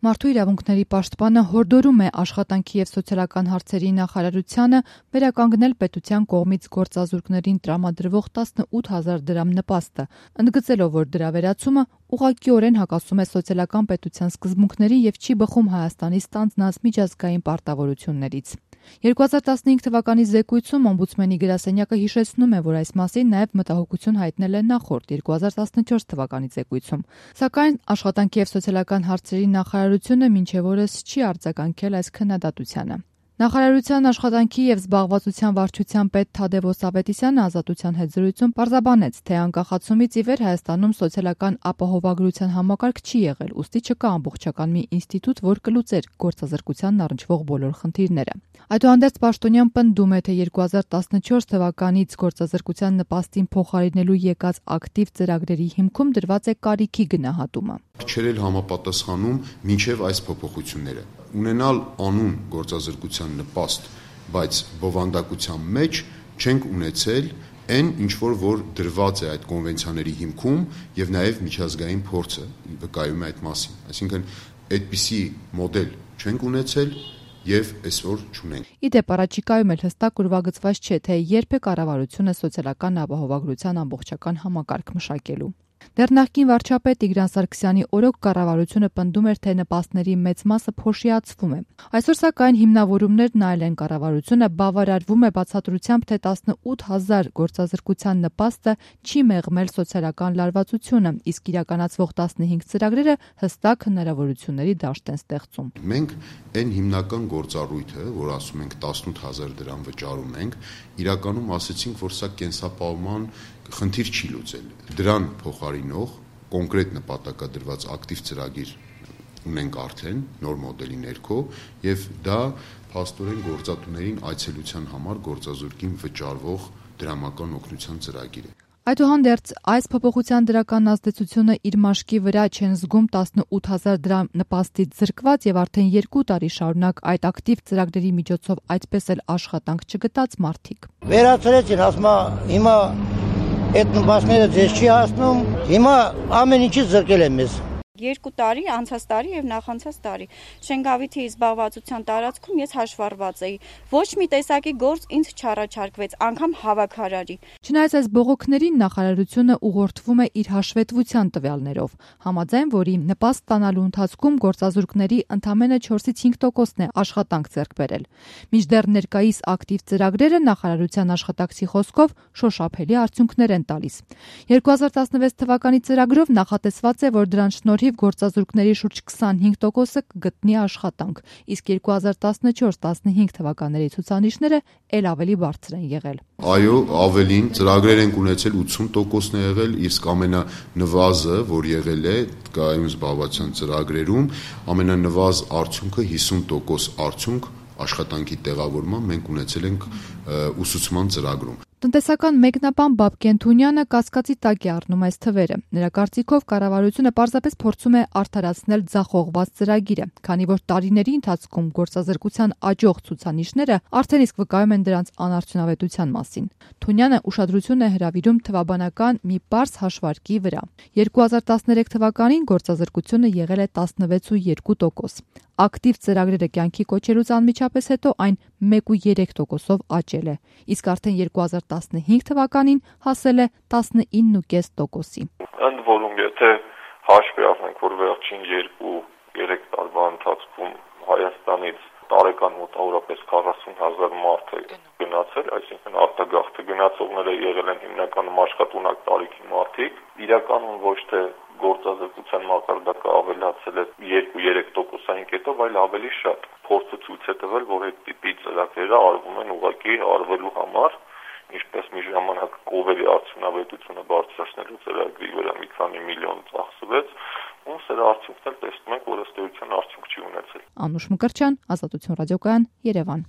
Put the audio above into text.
Մարդու իրավունքների պաշտպանը հորդորում է աշխատանքի և սոցիալական հարցերի նախարարությանը վերականգնել պետության կողմից գործազուրկներին տրամադրվող 18,000 դրամ նպաստը, ընդգծելով, որ դրա վերացումը ուղղակիորեն հակասում է սոցիալական պետության սկզբունքներին և չի բխում Հայաստանի ստանձնած միջազգային պարտավորություններից։ 2015 թվականի զեկույցում օմբուդսմենի գրասենյակը հիշեցնում է, որ այս մասին նաև մտահոգություն հայտնել է նախորդ 2014 թվականի զեկույցում, սակայն աշխատանքի և սոցիալական հարցերի նախարարությունը մինչև օրս չի արձագանքել այս քննադատությանը։ Նախարարության աշխատանքի և զբաղվածության վարչության պետ Թադևոս Ավետիսյանը Ազատության հետ զրույցում պարզաբանեց, թե անկախացումից ի վեր Հայաստանում սոցիալական ապահովագրության համակարգ չի եղել, ուստի չկա ամբողջական մի ինստիտուտ, որ կլուծեր գործազրկությանն առնչվող բոլոր խնդիրները։ Այդուհանդերձ պաշտոնյան պնդում է, թե 2014 թվականից գործազրկության նպաստին փոխարինելու եկած ակտիվ ծրագրերի հիմքում դրված է կարիքի գնահատումը։ Չէր էլ համապատասխանում մինչև այս փոփոխությունները։ Ունենալ անուն գործազրկության նպաստ, բայց բովանդակության մեջ չենք ունեցել այն, ինչ որ դրված է այդ կոնվենցիաների հիմքում եւ նաեւ միջազգային փորձը վկայում է այդ մասին։ Այսինքն այդպիսի մոդել չենք ունեցել եւ այսօր չունենք։ Իդեպ առաջիկայում էլ հստակ ուրվագծված չէ, թե երբ է կառավարությունը սոցիալական ապահովագրության ամբողջական համակարգ մշակելու։ Դեռ նախկին վարչապետ Տիգրան Սարգսյանի օրոք կառավարությունը պնդում էր, թե նպաստների մեծ մասը փոշիացվում է։ Այսօր սակայն հիմնավորումներն այլ են, կառավարությունը բավարարվում է բացատրությամբ, թե 18,000 գործազրկության նպաստը չի մեղմել սոցիալական լարվածությունը, իսկ իրականացվող 15 ծրագրերը հստակ հնարավորությունների դաշտ են ստեղծում։ Մենք այն հիմնական գործառույթը, որ ասում ենք 18,000 դրամ վճարում ենք, իրականում ասեցինք, որ սա կենսապահովման խնդիր չի լուծել։ Դրան փոխարինող կոնկրետ նպատակադրված ակտիվ ծրագիր ունենք արդեն նոր մոդելի ներքո եւ դա փաստորեն գործատուներին այցելության համար գործազուրկին վճարվող դրամական օգնության ծրագիր է։ Այդուհանդերձ այս փոփոխության դրական ազդեցությունը իր մաշկի վրա չեն զգում 18,000 դրամ նպաստից զրկված եւ արդեն 2 տարի շարունակ այդ ակտիվ ծրագրերի միջոցով այդպես էլ աշխատանք չգտած մարդիկ։ Վերացրեցին, ասում հիմա այդ նպաստները ձեզ չի հասնում, հիմա ամեն ինչից զրկել են մեզ։ 2 տարի, անցած տարի եւ նախանցած տարի Շենգավիթի զբաղվածության տարածքում ես հաշվառված էի։ Ոչ մի տեսակի գործ ինձ չառաջարկվեց, անգամ հավաքարարի։ Չնայած այս բողոքներին նախարարությունը ուղղորդվում է իր հաշվետվության տվյալներով, համաձայն որի նպաստ ստանալու ընթացքում գործազուրկների ընդամենը 4-ից 5%-ն է աշխատանք ձեռք բերել։ Մինչդեռ ներկայիս ակտիվ ծրագրերը նախարարության աշխատակցի խոսքով շոշափելի արդյունքներ են տալիս։ 2016 թվականի ծրագրով նախատեսված է, որ դրան շնորհիվ գործազուրկների շուրջ 25%-ը կգտնի աշխատանք, իսկ 2014-15 թվականների ցուցանիշները ել ավելի բարձր են եղել։ Այո, ավելին ծրագրեր ենք ունեցել 80%-ն է եղել, իսկ ամենանվազը, որ եղել է կայուն զբաղվածության ծրագրերում, ամենանվազ արդյունքը 50% արդյունք աշխատանքի տեղավորման մենք ունեցել ենք ուսուցման ծրագրում։ Տնտեսական մեկնաբան Բաբկեն Թունյանը կասկածի տակ է առնում այս թվերը։ Նրա կարծիքով կառավարությունը պարզապես փորձում է արդարացնել ձախողված ծրագիրը, քանի որ տարիների ընթացքում գործազրկության աճող ցուցանիշները արդեն իսկ վկայում են դրանց անարդյունավետության մասին։ Թունյանը ուշադրություն է հրավիրում թվաբանական մի պարզ հաշվարկի վրա։ 2013 թվականին գործազրկությունը եղել է 16.2%։ Ակտիվ ծրագրերը կյանքի կոչելուց անմիջապես հետո այն 1.3%-ով աճել է, իսկ արդեն 2015 թվականին հասել է 19.5%-ի։ Ընդ որում, եթե հաշվի առնենք, որ վերջին 2-3 տարվա ընթացքում Հայաստանից տարեկան մոտավորապես 40,000 մարդ է գնացել, այսինքն արտագաղթը գնացողները եղել են հիմնականում աշխատունակ տարիքի մարդիկ, իրականում ոչ թե գործազրկության մակարդակը ավելացել է 2-3%-ային կետով, այլ ավելի շատ։ Փորձը ցույց է տվել, որ այդ տիպի ծրագրերը արվում են ուղղակի արվելու համար, ինչպես մի ժամանակ կովերի արդյունավետությունը բարձրացնելու ծրագրի վրա մի քանի միլիոն ծախսվեց, ու սրա արդյունքն էլ տեսնում ենք, որ ըստ էության արդյունք չի ունեցել։ Անուշ Մկրտչյան, Ազատություն ռադիոկայան, Երևան։